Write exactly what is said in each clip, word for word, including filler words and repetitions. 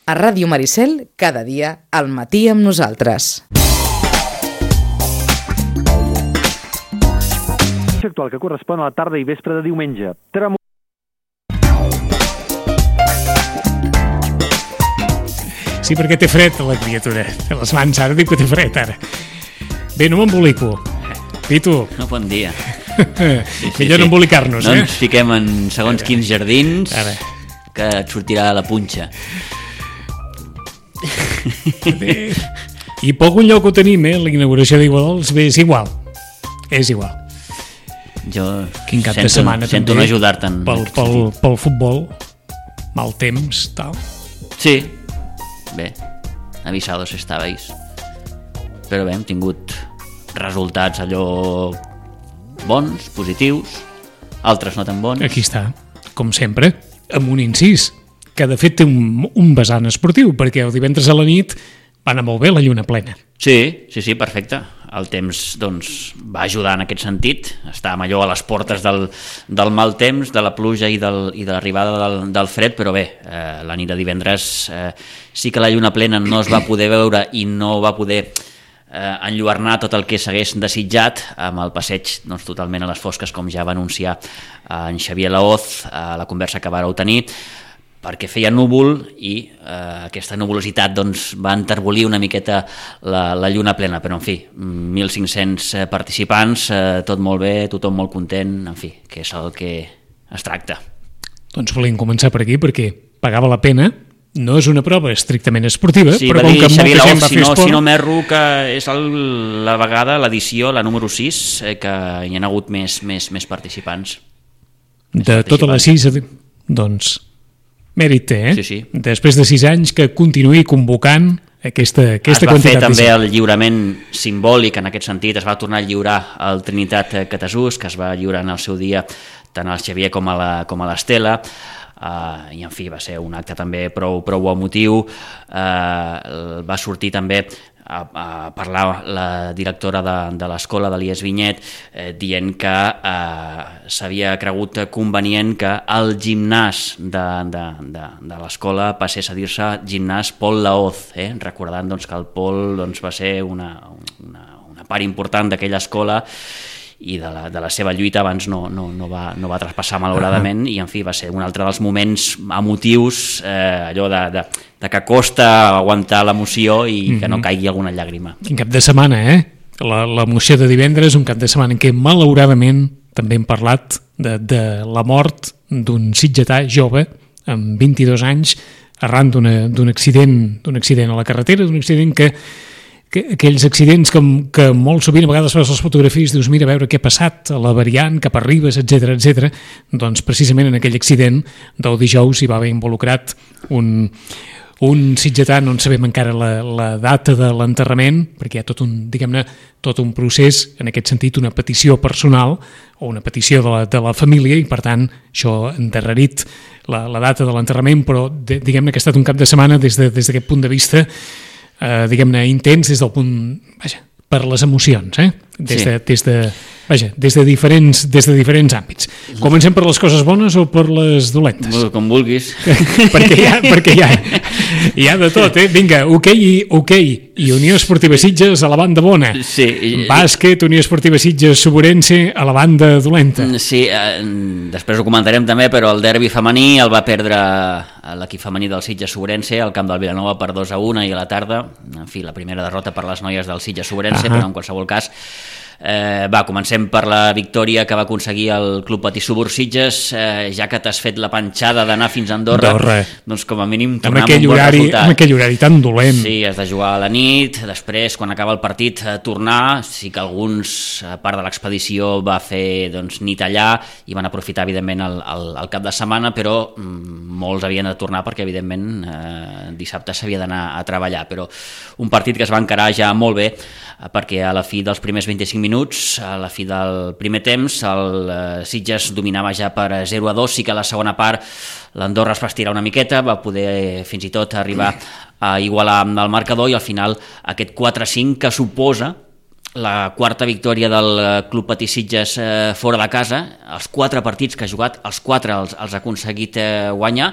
A Ràdio Maricel, cada dia, al matí amb nosaltres. Actual que correspon a la tarda i vespre de diumenge. Tremo... Sí, perquè té fred la criatura. Té les mans, ara dic que té fred, ara. Bé, no m'embolico. Pitu. No, bon dia. Sí, sí, millor sí. No embolicar-nos, no eh? No ens fiquem en segons ara. Quins jardins ara. Que et sortirà la punxa. Bé. I per algun lloc ho tenim, eh? La inauguració d'Iguadols, bé, és igual. És igual. Jo Quin cap sento, de setmana sento també, no ajudar-te'n pel, pel, pel futbol, mal temps, tal. Sí, bé, avisados estabais, però bé, hem tingut resultats allò bons, positius, altres no tan bons. Aquí està, com sempre, amb un incís, que de fet té un, un vessant esportiu, perquè el divendres a la nit va anar molt bé la lluna plena. Sí, sí, sí, perfecte. El temps doncs, va ajudar en aquest sentit. Estàvem allò a les portes del, del mal temps, de la pluja i, del, i de l'arribada del, del fred, però bé, eh, la nit de divendres eh, sí que la lluna plena no es va poder veure i no va poder eh, enlluernar tot el que s'hagués desitjat amb el passeig doncs, totalment a les fosques, com ja va anunciar eh, en Xavier Laoz a la conversa que vàreu tenir, perquè feia núvol i eh, aquesta nuvolositat doncs, va enterbolir una miqueta la, la lluna plena, però en fi, mil cinc-cents participants, eh, tot molt bé, tothom molt content, en fi, que és el que es tracta. Doncs volíem començar per aquí perquè pagava la pena, no és una prova estrictament esportiva, sí, però com que molta gent va si fer no, esport... Si no m'erro, que és el, la vegada, l'edició, la número sis, eh, que hi ha hagut més, més, més participants. Més de totes les sis, doncs... Mèrit té, eh? Sí, sí. Després de sis anys que continuï convocant aquesta, aquesta quantitat. Es va quantitat. fer també el lliurament simbòlic, en aquest sentit, es va tornar a lliurar al Trinitat Catasús, que es va lliurar en el seu dia tant al Xavier com a la, com a l'Estela, uh, i en fi, va ser un acte també prou, prou emotiu, uh, va sortir també a, a parlar la directora de, de l'escola de l'I E S Vinyet eh, dient que eh, s'havia cregut convenient que el gimnàs de, de, de, de l'escola passés a dir-se gimnàs Pol Laoz, eh? Recordant doncs, que el Pol doncs, va ser una, una, una part important d'aquella escola i de la, de la seva lluita abans no, no, no, va, no va traspassar malauradament uh-huh. i en fi va ser un altre dels moments emotius, eh, allò de, de, de que costa aguantar l'emoció i uh-huh. que no caigui alguna llàgrima. Quin cap de setmana, eh? L'emoció de divendres, un cap de setmana en què malauradament també hem parlat de, de la mort d'un sitgetà jove amb vint-i-dos anys arran d'un accident, d'un accident a la carretera, d'un accident que Que, aquells accidents que, que molt sovint a vegades fas les fotografies i dius mira a veure què ha passat a la variant cap a Ribes, etcètera, etcètera. Doncs precisament en aquell accident del dijous hi va haver involucrat un, un sitgetà, no en sabem encara la, la data de l'enterrament, perquè hi ha tot un, diguem-ne, tot un procés, en aquest sentit una petició personal o una petició de la, de la família i per tant això ha endarrerit la, la data de l'enterrament, però de, diguem-ne que ha estat un cap de setmana des de, des d'aquest punt de vista Uh, diguem-ne, intens des del punt, vaja, per les emocions, eh? Des de, des de, vaja, des de diferents, des de diferents àmbits. Comencem per les coses bones o per les dolentes? Com vulguis. perquè hi ha, perquè hi ha, hi ha de tot, eh? Vinga, hoquei i, hoquei i Unió Esportiva Sitges a la banda bona. Sí. Bàsquet, Unió Esportiva Sitges, Soborense a la banda dolenta. Sí, eh, després ho comentarem també, però el derbi femení el va perdre l'equip femení del Sitges Soborense al camp del Vilanova per dos a un i a la tarda. En fi, la primera derrota per les noies del Sitges Soborense, uh-huh. però en qualsevol cas Eh, va, comencem per la victòria que va aconseguir el Club Patí Subur Sitges, eh, ja que t'has fet la panxada d'anar fins a Andorra, Andorra. Doncs com a mínim tornar amb, amb un bon horari, resultat. Amb aquell horari tan dolent. Sí, has de jugar a la nit, després quan acaba el partit eh, tornar, sí que alguns, a part de l'expedició, va fer doncs, nit allà i van aprofitar evidentment el, el, el cap de setmana, però mm, molts havien de tornar perquè evidentment eh, dissabte s'havia d'anar a treballar, però un partit que es va encarar ja molt bé, perquè a la fi dels primers vint-i-cinc minuts, a la fi del primer temps, el eh, Sitges dominava ja per zero a dos, sí que a la segona part l'Andorra es va estirar una miqueta, va poder eh, fins i tot arribar a igualar el marcador i al final aquest quatre a cinc que suposa la quarta victòria del Club Patí Sitges eh, fora de casa, els quatre partits que ha jugat, els quatre els, els ha aconseguit eh, guanyar,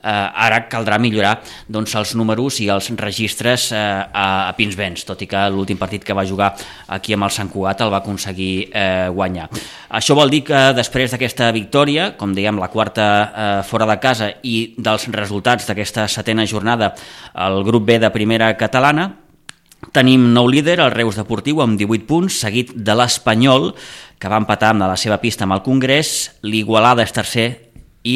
eh, ara caldrà millorar doncs, els números i els registres eh, a, a Pinsbens, tot i que l'últim partit que va jugar aquí amb el Sant Cugat el va aconseguir eh, guanyar. Això vol dir que després d'aquesta victòria, com dèiem, la quarta eh, fora de casa i dels resultats d'aquesta setena jornada al grup B de primera catalana, tenim nou líder, el Reus Deportiu, amb divuit punts, seguit de l'Espanyol, que va empatar amb la seva pista amb el Congrés, l'Igualada és tercer i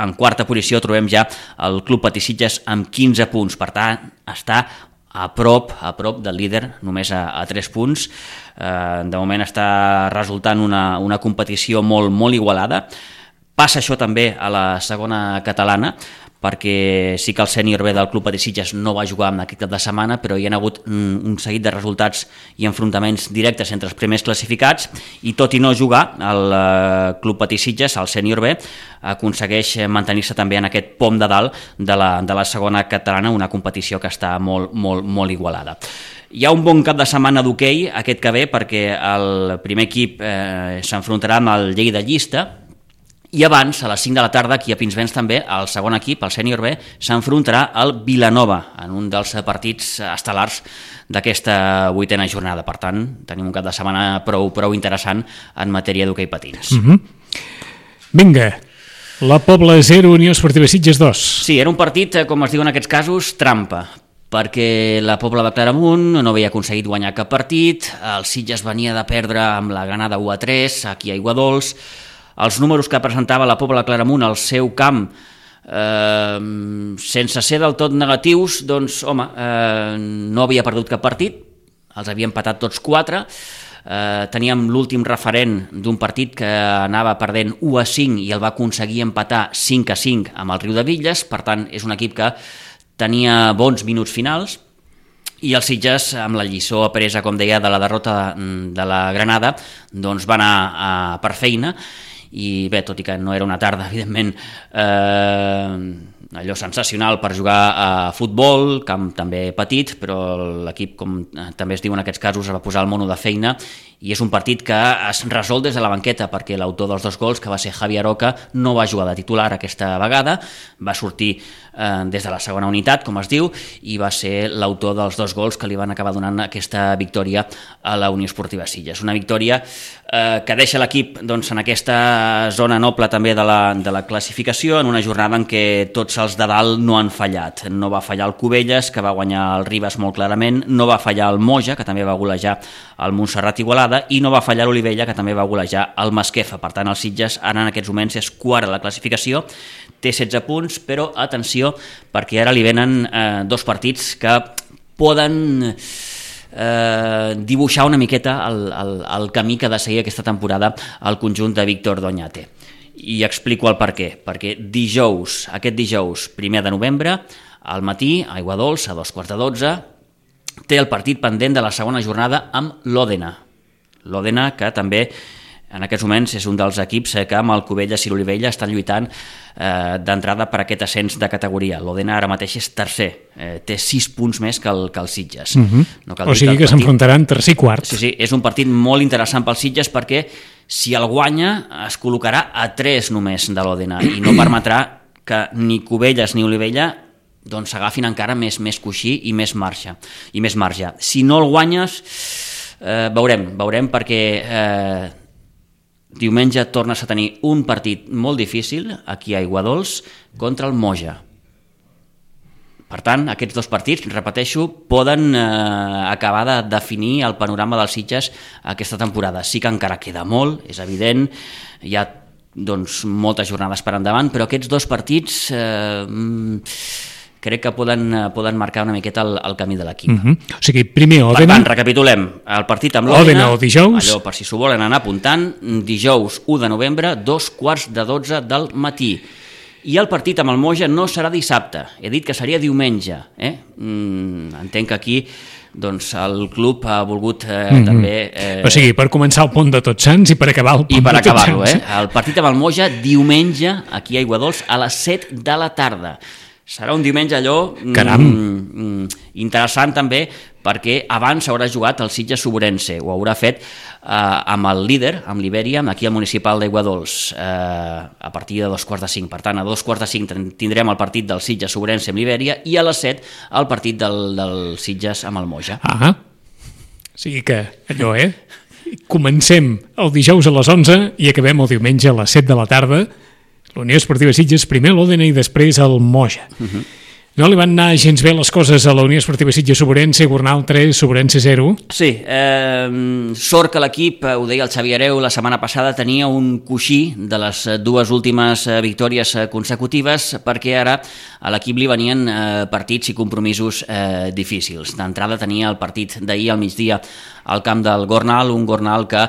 en quarta posició trobem ja el Club Patí Sitges amb quinze punts. Per tant, està a prop, a prop del líder, només a, a tres punts. Eh, de moment està resultant una, una competició molt, molt igualada. Passa això també a la segona catalana, perquè sí que el sènior B del Club Patí Sitges no va jugar en aquest cap de setmana, però hi ha hagut un seguit de resultats i enfrontaments directes entre els primers classificats, i tot i no jugar, el Club Patí Sitges, el sènior B, aconsegueix mantenir-se també en aquest pom de dalt de la, de la segona catalana, una competició que està molt, molt, molt igualada. Hi ha un bon cap de setmana d'hoquei aquest que ve, perquè el primer equip eh, s'enfrontarà amb el Lleida Llista, i abans, a les cinc de la tarda, aquí a Pinsbens també, el segon equip, el sènior B, s'enfrontarà al Vilanova, en un dels partits estel·lars d'aquesta vuitena jornada. Per tant, tenim un cap de setmana prou, prou interessant en matèria d'hoquei patins. Mm-hmm. Vinga, la Pobla zero, Unió Esportiva Sitges dos. Sí, era un partit, com es diu en aquests casos, trampa, perquè la Pobla de Claramunt no havia aconseguit guanyar cap partit, el Sitges venia de perdre amb la Granada u a tres, aquí a Aiguadols. Els números que presentava la Pobla de Claramunt al seu camp, eh, sense ser del tot negatius, doncs, home, eh, no havia perdut cap partit, els havia empatat tots quatre, eh, teníem l'últim referent d'un partit que anava perdent u a cinc i el va aconseguir empatar cinc a cinc amb el Riudebitlles, per tant, és un equip que tenia bons minuts finals, i els Sitges, amb la lliçó apresa, com deia, de la derrota de la Granada, doncs va anar a, per feina. I bé, tot i que no era una tarda, evidentment, eh, allò sensacional per jugar a futbol, camp també petit, però l'equip, com també es diu en aquests casos, es va posar el mono de feina, i és un partit que es resol des de la banqueta, perquè l'autor dels dos gols, que va ser Javi Aroca, no va jugar de titular aquesta vegada, va sortir eh, des de la segona unitat, com es diu, i va ser l'autor dels dos gols que li van acabar donant aquesta victòria a la Unió Esportiva Sitges. Una victòria eh, que deixa l'equip doncs, en aquesta zona noble també de la, de la classificació, en una jornada en què tots els de dalt no han fallat. No va fallar el Cubelles, que va guanyar el Ribes molt clarament, no va fallar el Moja, que també va golejar el Montserrat Igualada, i no va fallar l'Olivella, que també va golejar el Masquefa. Per tant, el Sitges ara en aquests moments és quart a la classificació, té setze punts, però atenció, perquè ara li venen eh, dos partits que poden eh, dibuixar una miqueta el, el, el camí que ha de seguir aquesta temporada al conjunt de Víctor Doñate. I explico el per què. Perquè dijous, aquest dijous, primer de novembre, al matí, a Aiguadols, a dos quarts de dotze, té el partit pendent de la segona jornada amb l'Òdena. L'Òdena, que també en aquests moments és un dels equips que amb el Cubelles i l'Olivella estan lluitant eh, d'entrada per aquest ascens de categoria. L'Òdena ara mateix és tercer, eh, té sis punts més que el, que el Sitges. Uh-huh. No cal o sigui que, que partit... s'enfrontaran tercer i quart. Sí, sí, és un partit molt interessant pel Sitges, perquè si el guanya es col·locarà a tres només de l'Òdena i no permetrà que ni Cubelles ni Olivella doncs s'agafin encara més, més coixí i més marge, i més marge. Si no el guanyes, eh, veurem, veurem perquè eh, diumenge tornes a tenir un partit molt difícil aquí a Aiguadols contra el Moja. Per tant, aquests dos partits, repeteixo, poden eh, acabar de definir el panorama dels Sitges aquesta temporada. Sí que encara queda molt, és evident, hi ha doncs, moltes jornades per endavant, però aquests dos partits eh, crec que poden, poden marcar una miqueta el, el camí de l'equip. Uh-huh. O sigui, primer Òdena... Per tant, recapitulem, el partit amb l'Òdena o dijous. Allò, per si s'ho volen anar apuntant, dijous u de novembre, dos quarts de dotze del matí. I el partit amb el Moja no serà dissabte, he dit que seria diumenge. Eh? Mm, entenc que aquí doncs, el club ha volgut eh, mm-hmm. també... Eh... O sigui, per començar el pont de Tots Sants i per acabar el pont I per de Tots acabar-lo, Sants. Eh? El partit amb el Moja diumenge aquí a Aiguadols a les set de la tarda. Serà un diumenge allò mm, interessant també, perquè abans haurà jugat el Sitges Sobrense, ho haurà fet eh, amb el líder, amb l'Iberia, aquí al municipal d'Aiguadols, eh, a partir de dos quarts de cinc. Per tant, a dos quarts de cinc tindrem el partit del Sitges Sobrense amb l'Iberia i a les set el partit del, del Sitges amb el Moja. Ah, o sigui que allò, eh? Comencem el dijous a les onze i acabem el diumenge a les set de la tarda. La Unió Esportiva Sitges, primer l'Òdena i després el Moja. Uh-huh. No li van anar gens bé les coses a la Unió Esportiva Sitges Sobrense, Gornal tres, Sobrense zero? Sí, eh, sort que l'equip, ho deia el Xavi Hereu la setmana passada, tenia un coixí de les dues últimes victòries consecutives, perquè ara a l'equip li venien eh, partits i compromisos eh, difícils. D'entrada tenia el partit d'ahir al migdia al camp del Gornal, un Gornal que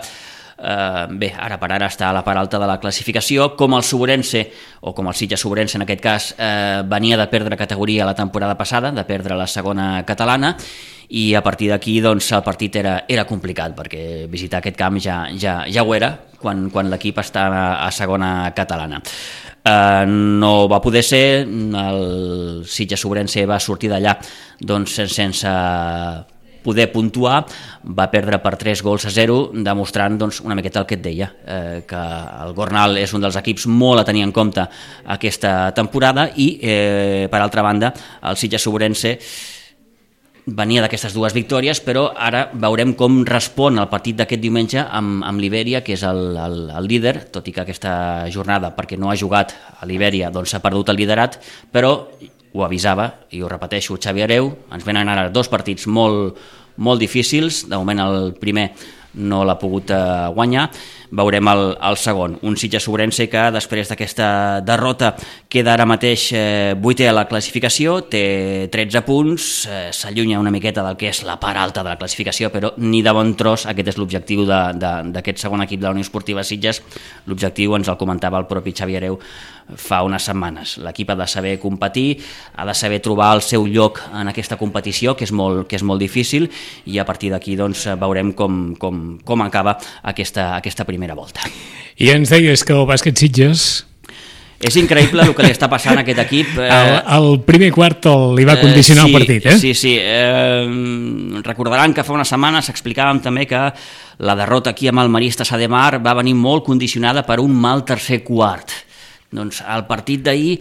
Uh, bé, ara per ara està a la part alta de la classificació, com el Sobrense, o com el Sitges Sobrense en aquest cas, uh, venia de perdre categoria la temporada passada, de perdre la segona catalana, i a partir d'aquí doncs, el partit era, era complicat, perquè visitar aquest camp ja, ja, ja ho era quan, quan l'equip està a, a segona catalana. Uh, no va poder ser, el Sitges Sobrense va sortir d'allà doncs, sense poder puntuar, va perdre per tres gols a zero, demostrant doncs, una miqueta el que et deia, eh, que el Gornal és un dels equips molt a tenir en compte aquesta temporada i, eh, per altra banda, el Sitges Sobrense venia d'aquestes dues victòries, però ara veurem com respon el partit d'aquest diumenge amb, amb l'Iberia, que és el, el, el líder, tot i que aquesta jornada, perquè no ha jugat a l'Iberia, doncs s'ha perdut el liderat, però ho avisava, i ho repeteixo, Xavi Hereu, ens venen ara dos partits molt, molt difícils, de moment el primer no l'ha pogut eh, guanyar, veurem el, el segon, un Sitges Sobrense que després d'aquesta derrota queda ara mateix eh, vuitè a la classificació, té tretze punts, eh, s'allunya una miqueta del que és la part alta de la classificació, però ni de bon tros aquest és l'objectiu d'aquest segon equip de la Unió Esportiva Sitges. L'objectiu ens el comentava el propi Xavi Hereu fa unes setmanes. L'equip ha de saber competir, ha de saber trobar el seu lloc en aquesta competició, que és molt, que és molt difícil, i a partir d'aquí doncs, veurem com, com, com acaba aquesta, aquesta primera volta. I ens deies que el bàsquet Sitges... És increïble el que li està passant a aquest equip. Eh... El, el primer quart li va condicionar eh, sí, el partit, eh? Sí, sí. Eh, recordaran que fa unes setmanes explicàvem també que la derrota aquí amb el Marista Sa de Mar va venir molt condicionada per un mal tercer quart. Doncs el partit d'ahir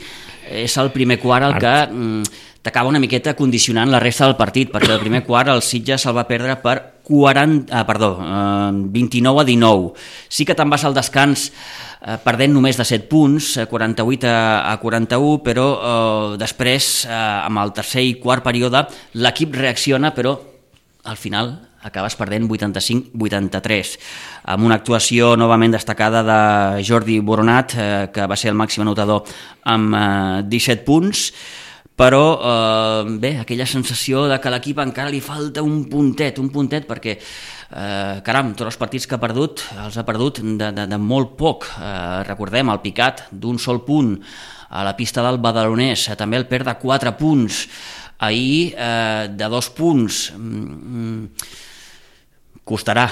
és el primer quart el que mm, t'acaba una miqueta condicionant la resta del partit, perquè el primer quart el Sitges el va perdre per quaranta, ah, perdó, eh, vint-i-nou a dinou. Sí que te'n vas al descans eh, perdent només de set punts, quaranta-vuit a quaranta-u, però eh, després, eh, amb el tercer i quart període, l'equip reacciona, però al final acabes perdent vuitanta-cinc a vuitanta-tres, amb una actuació novament destacada de Jordi Boronat, eh, que va ser el màxim anotador amb eh, disset punts, però eh, bé, aquella sensació de que a l'equip encara li falta un puntet, un puntet, perquè eh, caram, tots els partits que ha perdut els ha perdut de, de, de molt poc. Eh, recordem el picat d'un sol punt a la pista del Badalonès, eh, també el perd de quatre punts, ahir eh, de dos punts. Mm, costarà.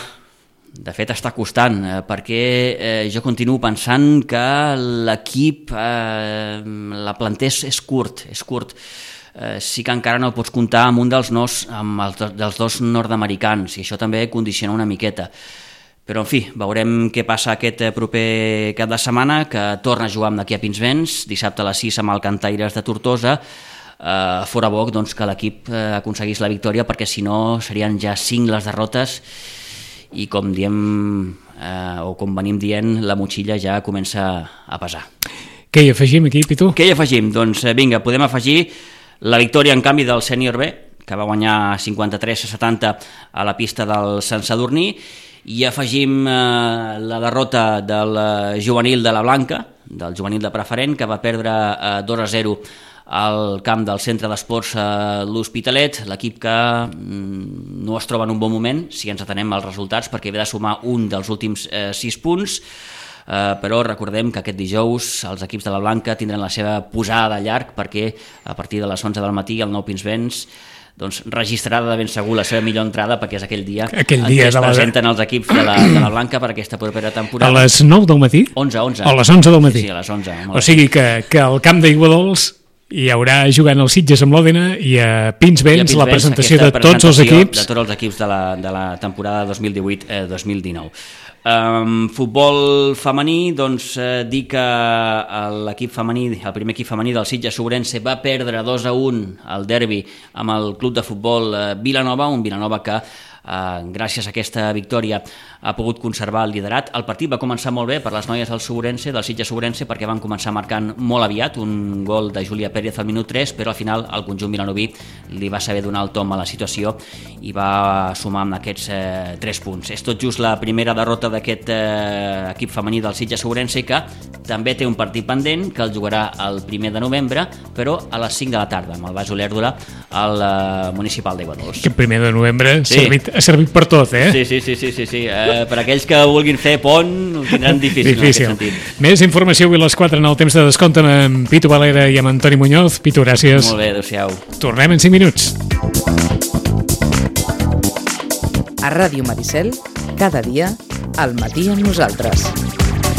De fet, està costant, eh, perquè eh, jo continuo pensant que l'equip, eh, la planter és, és curt, és curt. Eh, sí que encara no pots comptar amb un dels, nos, amb els, dels dos nord-americans, i això també condiciona una miqueta. Però, en fi, veurem què passa aquest proper cap de setmana, que torna a jugar amb d'aquí a Pinsbens, dissabte a les sis amb el Cantaires de Tortosa. Eh, fora bo doncs, que l'equip eh, aconseguís la victòria, perquè si no serien ja cinc les derrotes, i com diem eh, o com venim dient, la motxilla ja comença a pesar. Què hi afegim aquí, Pitu? Què hi afegim? Doncs vinga, podem afegir la victòria en canvi del sènior B, que va guanyar cinquanta-tres a setanta a la pista del Sant Sadurní, i afegim eh, la derrota del juvenil de la Blanca, del juvenil de preferent, que va perdre eh, dos a zero al camp del centre d'esports eh, l'Hospitalet, l'equip que mm, no es troba en un bon moment, si ens atenem als resultats, perquè ve de sumar un dels últims eh, sis punts, eh, però recordem que aquest dijous els equips de la Blanca tindran la seva posada de llarg, perquè a partir de les onze del matí el Nou Pinsbens doncs, registrarà de ben segur la seva millor entrada, perquè és aquell dia, aquell dia en què es la... presenten els equips de la, de la Blanca per aquesta propera temporada. A les nou del matí? onze, onze. A les onze del matí? Sí, sí, a les onze. O sigui que, que el camp d'Aiguadols hi haurà jugant el Sitges amb l'Òdena i a Pinsbens la presentació de tots els presentació equips. De tots els equips de la, de la temporada dos mil divuit dos mil dinou. Um, futbol femení, doncs eh, dir que l'equip femení, el primer equip femení del Sitges Ourense va perdre dos a un al derbi amb el club de futbol eh, Vilanova, un Vilanova que Uh, gràcies a aquesta victòria ha pogut conservar el liderat. El partit va començar molt bé per les noies del Ourense, del Sitges Ourense, perquè van començar marcant molt aviat un gol de Júlia Pérez al minut tres, però al final el conjunt vilanoví li va saber donar el tom a la situació i va sumar amb aquests eh, tres punts. És tot just la primera derrota d'aquest eh, equip femení del Sitges Ourense, que també té un partit pendent que el jugarà el primer de novembre, però a les cinc de la tarda amb el Baix Olèrdora al eh, municipal d'Aiguadols. Que el primer de novembre ha sí. servit ha servit per tot, eh? Sí, sí, sí, sí, sí, sí. Eh, per aquells que vulguin fer pont ho tindran difícil, difícil. en aquest sentit. Més informació avui a les quatre en el temps de descompte amb Pitu Valera i amb Antoni Muñoz. Pitu, gràcies. Molt bé, adéu-siau. Tornem en cinc minuts. A Ràdio Maricel, cada dia, al matí amb nosaltres.